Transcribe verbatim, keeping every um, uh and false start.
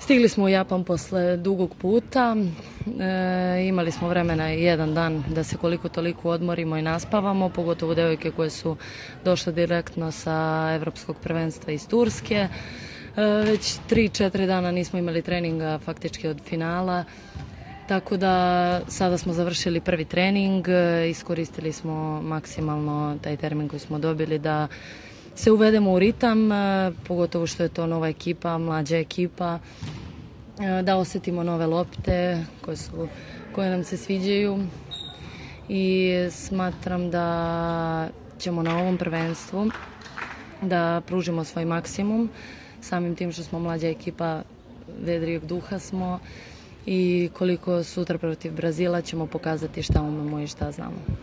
Stigli smo u Japan posle dugog puta, e, imali smo vremena jedan dan da se koliko toliko odmorimo i naspavamo, pogotovo devojke koje su došle direktno sa evropskog prvenstva iz Turske. E, već tri četiri dana nismo imali treninga faktički od finala, tako da sada smo završili prvi trening, iskoristili smo maksimalno taj termin koji smo dobili da se uvedemo u ritam, pogotovo što je to nova ekipa, mlađa ekipa, da osetimo nove lopte koje, su, koje nam se sviđaju i smatram da ćemo na ovom prvenstvu da pružimo svoj maksimum, samim tim što smo mlađa ekipa, vedrijeg duha smo i koliko sutra protiv Brazila ćemo pokazati šta umemo i šta znamo.